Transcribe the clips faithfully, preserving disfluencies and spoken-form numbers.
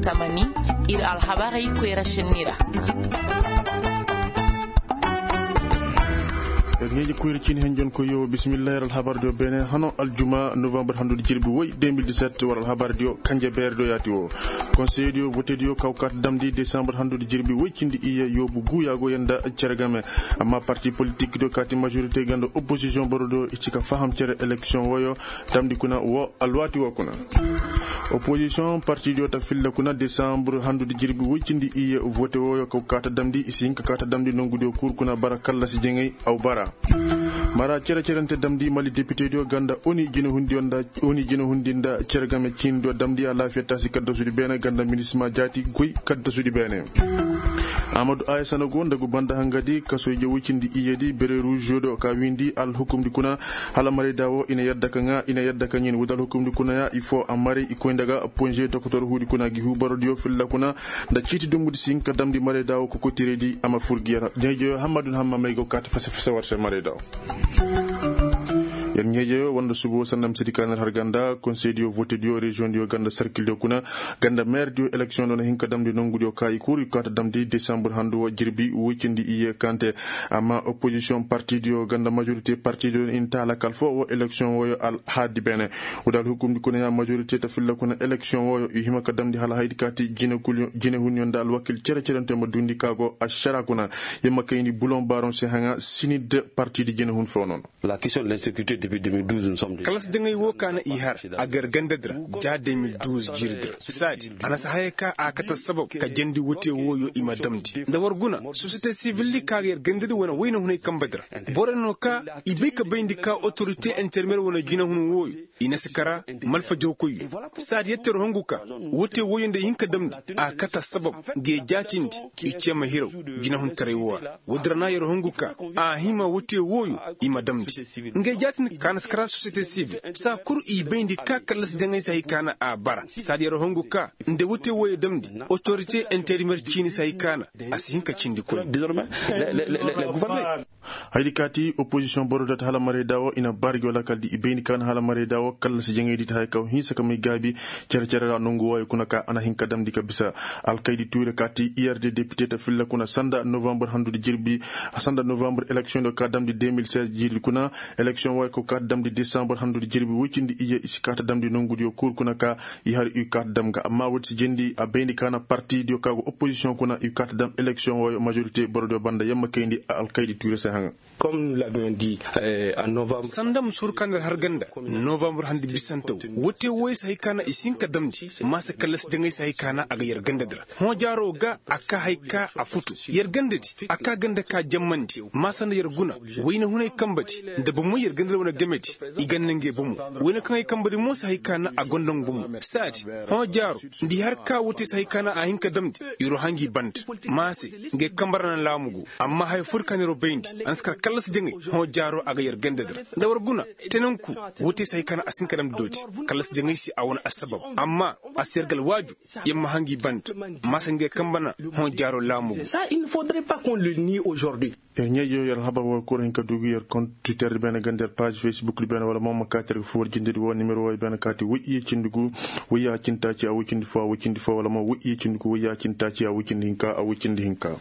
Tamani, ir alhabarey koyra šenni ra. Yer ɲeeji koyra ciini henjon koyo bisimillahi yer alhabar diyo beene hano aljuma novembar handudi jirbi woy deux mille dix-sept war alhabar diyo kanje beere diyo yaati wo. Konseye diyo vote diyo kaw kaata damndi desambar handudi jirbi woy cindi iyye yoobu guuya go yer nda cere game. Amma parti politik diyo kaati majorite ganda opposision boro diyo i ci ka faham cere eleksiyoŋ woyo damndi kuna wo alwaati wo kuna. Opozisiyoŋ partidiyo ta filla kuna desambur handudi jirbi woy cindi iyye vote woyo kaw kaata damndi i si hin ka kaata damndi nongudiyo kul kuna bara kallasi jaŋay aw bara. Mara cere-cerente damndi mali depitediyo ganda oni jinahundi nda cere game ciinidiyo damndi alaafiya taasi kaddasudi beene ganda minisima jaati goy kaddasudi beene. Amadu ayasana go nda gu banda hangadi kasoy jawucindi iyedi bere ruužo do ka windi alhukumdi kuna. Hala marayda wo i na yadda ka ŋaa i na yadda ka ɲin wudi alhukumdi kuna ya i foo a maray i koy nda ga ponže tokotor huudi kuna gi huubarodiyo filla kuna. Nda ciiti dumbudi si hin ka damndi marayda wo kokotiraydi a ma fur gi yer ɲeejeyo hammadu na hamma may go kaati fase-fase war se marayda wo. Yer ɲeejeyo wanda subo sanda misedi ka na har ganda konseydiyo votediyo reziyoŋdiyo ganda sarkildiyo kuna. Ganda meerdiyo eleksiyoŋ do na hin ka damndi nongudiyo ka i kul i kaata damndi desambur handu wo jirbi woy cindi iyye kante. Amma opozisiyoŋ partidiyo ganda majorite partidiyo i na ta alakal foo wo eleksiyoŋ woyo alhaadi beene. Wudi alhukumdi kuna ya majorite ta filla kuna eleksiyoŋ woyo i hima ka damndi hala haydi kaati jinehunyo nda alwakil cere-cerente ma duundi ka go ašara kuna. Yer ma kayndi buloŋ baaroŋ se haŋa sinid partidi jinehun foo nono. Kallasi jaŋay woo ka na i har a ga yer gandadi ra ja deux mille douze jiiridi ra saadi a na si haya ka a kate assabab ka jandi wote wooyo i ma damndi nda war guna sosiyete sivildi ka ga yer gandadi wane wayna hunay kambadi ra. Borey no ka i bay ka bayndi ka otorite intermeer wane jinahun wooyo i na si kara malfa jawkoyyo. Saadi yette yer hongu ka wote wooyo nda i hin ka damndi a kate assabab ga yer jaatindi i ce ma hiraw jinahuntaray woo ra. Woodi ra na yer hongu ka a hima wote wooyo i ma damndi ngey jaatindi ka na si kara sosiyete sivil saa kul i bayndi ka kallasi jaŋay si hay ka na a bara saadi yer hongu ka nda wote wooyo damndi otorite interimer ciini si hay ka na a si hin ka cindi koy. Haydi kaati opozisiyoŋ boro data hala marayda wo i na baari gi wala kala di i bayndi ka na hala marayda wo kallasi jaŋaydi ta hay ka wo hinsa ka may gaabi cere-cere ra nongu wooyo kuna ka a na hin ka damndi ka bisa. Alkaydi tuure kaati ird depite ta filla kuna sanda novambar handudi jirbi sanda novambar eleksiyoŋ do ka damndi deux mille seize jirbi kuna. Eleksiyoŋ wooyo ka ka damndi desambur handudi jirbi woy cindi iyye i si ka ta damndi nongudiyo kul kuna ka i har i ka ta dam ga amma woodi si jendi a bayndi ka na partidiyo ka go opozisiyoŋ kuna i ka ta dam eleksiyoŋ wooyo majorite borodiyo banda yamma kayndi alkaydi tuure se haŋa. Sanda ma si huru ka nda har ganda novambar handi bisante wo wote wooyo si hay ka na i si hin ka damndi maasa kallasi jaŋay si hay ka na a ga yer gandadi ra. Hõ jaaro ga a ka hay ka a futu yer gandadi a ka ganda ka jammandi maasa nda yer guna wayna hunay kambadi nda bomoy yer gandadi wane gamedi. I ganda ngey bomo wayna kaŋ ay kambadi mo si hay ka na a gonda nga bomo saadi. Hõ jaaro nda i har ka wote si hay ka na a hin ka damndi yer wo hangi banda maase. Ngey kamba ra na laamu go amma haya fur ka na yer wo bayndi a na si kar kallasi jaŋay. Hõ jaaro a ga yer gandadi ra nda war guna tenanku wote si hay ka na a si hin ka damndi dooti kallasi jaŋay se a wane assabab amma a si yer ga alwaaju yer ma hangi banda. Maasa ngey kamba na hõ jaaro laamu go. Yer ɲeejo yer alhabar woo kul hin ka duu gi yer kont twitter di beene ganda yer paaz facebook di beene wala mo ma kaati yer ga foo war jindedi woo nimero woo i beene kaati woy iyye cindi gu woy ya cindi taaci a woy cindi foo a woy cindi foo wala mo woy iyye cindi gu woy ya cindi taaci a woy cindi hinka a woy cindi hinka.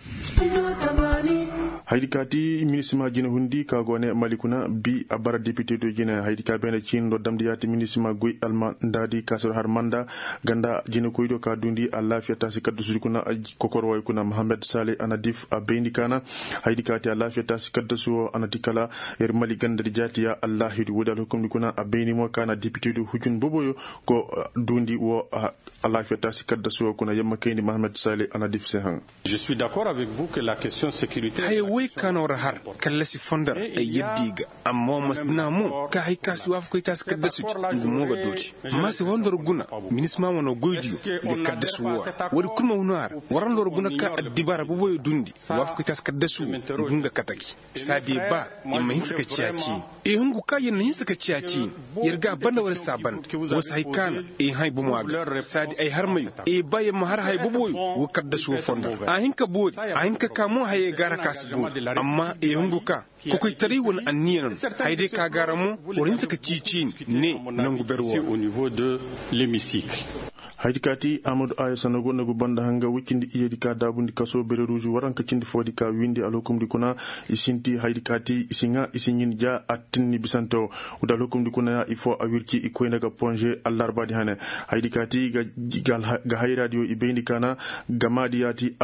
Haydi kaati minisima jinehundi ka go ne mali kuna bi a bara depite do jine haydi ka beene ciini do damndi yaati minisima goy almandaadi ka si war har manda ganda jinekoydiyo ka duundi alaafiya taasi kaddasudi kuna kokor wooyo kuna mohammed sale a na dif a bayndi ka na haydi kaati alaafiya taasi kaddasu woo a na ti kala yer mali gandadi jaati ya allaahidu woodi alhukumdi kuna a bayndi mo ka na depitedi hujun boboyo go duundi woo alaafiya taasi kaddasu woo kuna yamma kayndi mohammed sale a na dif se haŋ. Haya woy ka no ra har kallasi fondo ra ay yadda i ga. Amma wa ma si dina mo ka hay ka si waafakay taasi kaddasudi nga mo ga dooti. Maase war nda war guna minisima wane goydiyo ga kaddasu woo ra woodi kul ma huna ra war nda war guna ka addibaara boboyo duundi waafakay taasi kaddasu woo nga nga kataki. Saadi ba yer ma hinsa ka ciya ciini. Yer hungu ka yer na hinsa ka ciya ciini. Yer ga a banda war saa banda war si hay ka na yer hãy bomo a ga saadi ay harmayo yer ba yer ma har haya boboyo. War kaddasu woo fondo ra a hin ka boori a hin ka ka mo hayey ga a ra ka si boori. Amma yer hungu ka kokoytaray wane anniya no no. Haya day ka ga a ra mo war hinsa ka cii ciini ne nangu ber woo ra. Haydi kaati amadu aya sanago nagu banda hanga woy cindi iyedi ka daabundi kasoo bere ruuzu waranka cindi foodi ka wiindi alhukumdi kuna. I sinti haydi kaati i si ŋaa i si ɲin ja attinni bisante wo. Wudi alhukumdi kuna ya ifo a wirci i koyne ga ponže allarbaadi hane. Haydi kaati ga hayraadiyo i bayndi kaana gamaadi yaati.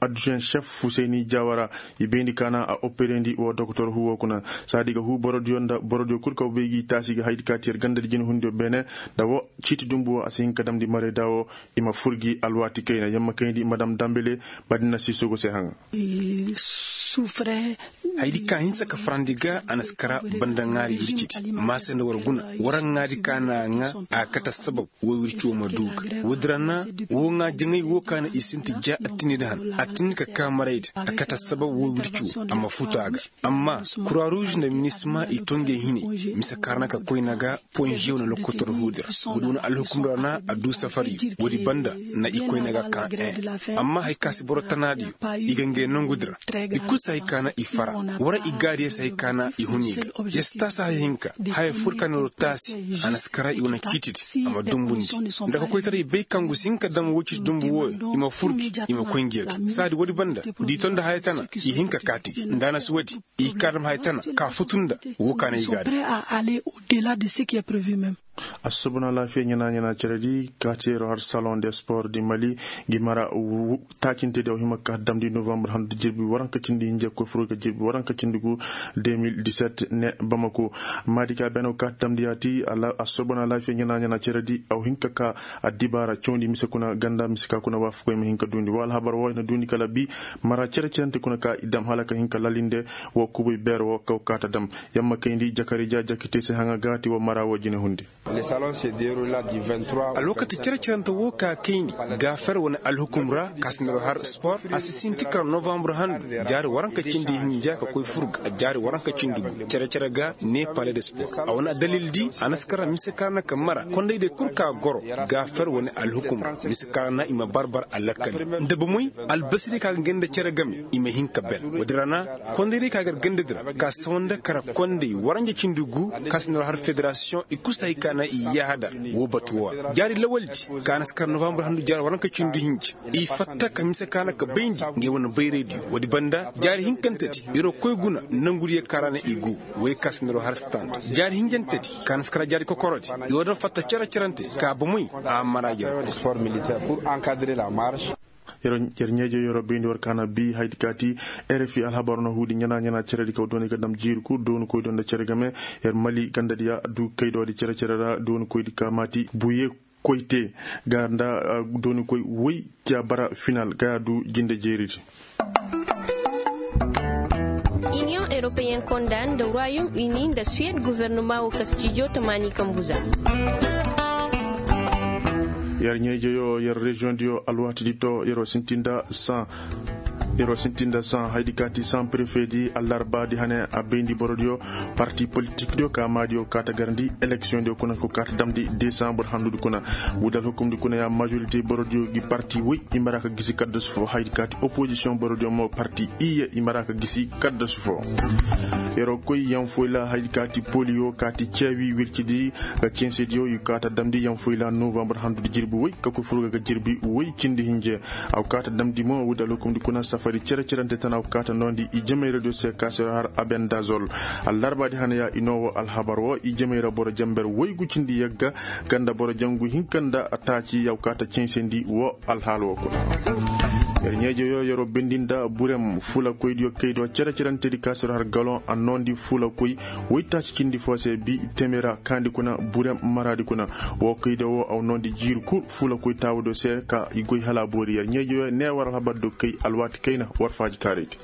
Adduzen šef husayni jawara i bayndi kaana a operendi wo dokotor huwo kuna. Saadi ga huu borodiyo nda borodiyo kul kaw bay gi taasi ga haydi kaati yer gandadi jinehundiyo beene. Nda wo ciiti dumbu wo a si hin ka damndi marayda wo. I ma fur gi alwaati kayna yamma kayndi madam dambele. Madina sisogo se haŋa. Haydi ka hinsa ka farandi ga a na si kara banda ŋaari wircidi. Maase nda war guna war ŋaadi ka na ŋaa a kate assabab. Wo wirci wo ma du ga woodi ra na wo ŋaa jaŋay wo ka na i sinti ja attinni da han attinni ka kaa marayda a kate assabab wo wirci wo a ma futu a ga. Amma kura ruuz nda minisma i to ngey hinay mise kaarana ka koyna ga. Ponže wane lokotor huudi ra woodi wane alhukum ra na a du safariyo woodi banda na i koyna ga kaa en. Amma hari ka si boro tanaadiyo i ga ngey nongudi ra. I kul si hari ka na i fara wara i gaadiyo si hari ka na i huni ga. Ya si taasi haya hinka haya fur ka na waro taasi. A na si kara i wane ciitidi a ma dumbundi nda ka koytaray bay kaŋ gu si hin ka dam woo ciiti dumbu wooyo i ma fur gi i ma koy ngi ga saadi woodi banda da i to nda haya tana i hin ka kaati gi nda a na si woodi. I kaadam hay tana ka futu nda woo ka na i gaadi. Assobona laafiya ɲana ɲana ceredi kaati yeroo har salon de sport di mali gi mara. Taacintedi aw hima ka damndi novambar handu jirbi waranka cindi hinja koy furo ga jirbi waranka cindi gu. Deux mille dix-sept ne bamako maadi ka bene aw ka damndi yaati. Assobona laafiya ɲana ɲana ceredi aw hinka ka addibaara cawndi mise kuna ganda mise ka kuna waafakoy ma hin ka duundi wa alhabar woo i na duundi kala bi. Mara cere cerante kuna ka i dam hala ka hin ka lalinde. Woo kubuy beer woo kaw kaata dam yamma kayndi jakari ja jakite se haŋa gaati woo mara woo jine hundi. Alwakati cere cerante woo ka kayndi gaafer wane alhukum ra ka si nda har sport a si sinti kara novambar handu jaari waranka cindi hinja ka koy fur ga jaari waranka cindi gu cere cere ga ne pale de sport a wane addalil di a na si kara mise kaana ka mara kondaydiyo kul ka goro. Gaafer wane alhukum ra mise kaana i ma barbar alakkali nda bomoy albasiri ka ga ngey nda cere game i ma hin ka ben woodi ra na kondaydiyo ka gar gandadi ra ka sawa nda kara konday waranja cindi gu ka si nda har federasiyoŋ i kusa hay ka na i yaahadar. Woo batu woo ra jaari lawaldi ka na si kara novambar handu jaari waranka cindi hinja i fatta ka mise ka na ka bayndi ngey wane bayraydiyo woodi banda jaari hinkantedi yeroo koy guna nangudiyo ka ra na i go. Wey ka si nda har stand jaari hinjantedi ka na si kara jaari kokorodi. Yoo daŋ fatta cere cerante ka bomoy a mara yer kul. Yer ɲeejo yeroo bayndi war kaana bi haydi kaati rfi alhabar no huudi ɲana ɲana ceredi kaw dooni ga dam jiiri kul dooni koy do nda cere game. Yer mali gandadi ya du kaydoodi cere cere ra dooni koydi ka maati buye koyte ga nda dooni koy woy ca bara final ga ya du jinde jeeridi. Iniyoŋ eropeyen konda nda royom uni nda suwed guvernoma wo kastijo tamaani kambuza. Yer ɲeejoyo yer reziyoŋdiyo alwaatidi to yeroo sintinda saŋ. Yeroo sintinda saŋ haydi kaati saŋ prefedi allarbaadi hane a bayndi borodiyo. Parti politikdiyo ka maadiyo kaata garandi eleksiyoŋdiyo kuna ko kaata damndi desambur handudi kuna. Wudal hukumdi kuna ya majorite borodiyo gi parti woy i mara ka gisi kaddasu fo haydi kaati opozisiyoŋ borodiyo mo parti iyye i mara ka gisi kaddasu fo. Yeroo koy yanfoy la haydi kaati poliyo kaati ceewi wircidi ga censediyo i kaata damndi yanfoy la novambar handudi jirbi woy ka koy furga ga jirbi woy cindi hinje. Aw kaata damndi mo wudal hukumdi kuna safari cere cerante tana aw kaata noondi i jemay radio se kaasero har abendazol. Allarbaadi hana ya i noo woo alhabar woo i jemay ra boro jember woy gu cindi yagga ganda boro jangu hinka nda taaci yaw kaata censendi woo alhaal woo kuna. Yer ɲeejoyo yeroo bendi nda burem fulakoydiyo kaydiyo cere cerantedi kaasero har galon a noondi fulakoy woy taaci cindi foo se bi temera kaandi kuna burem maraadi kuna. Woo kaydiyo woo aw noondi jiiri kul fulakoy taawudiyo se ka i goy hala a boori yer ɲeejoyo ne war alhabar do kay alwaati kayna war faaji kaaraydi.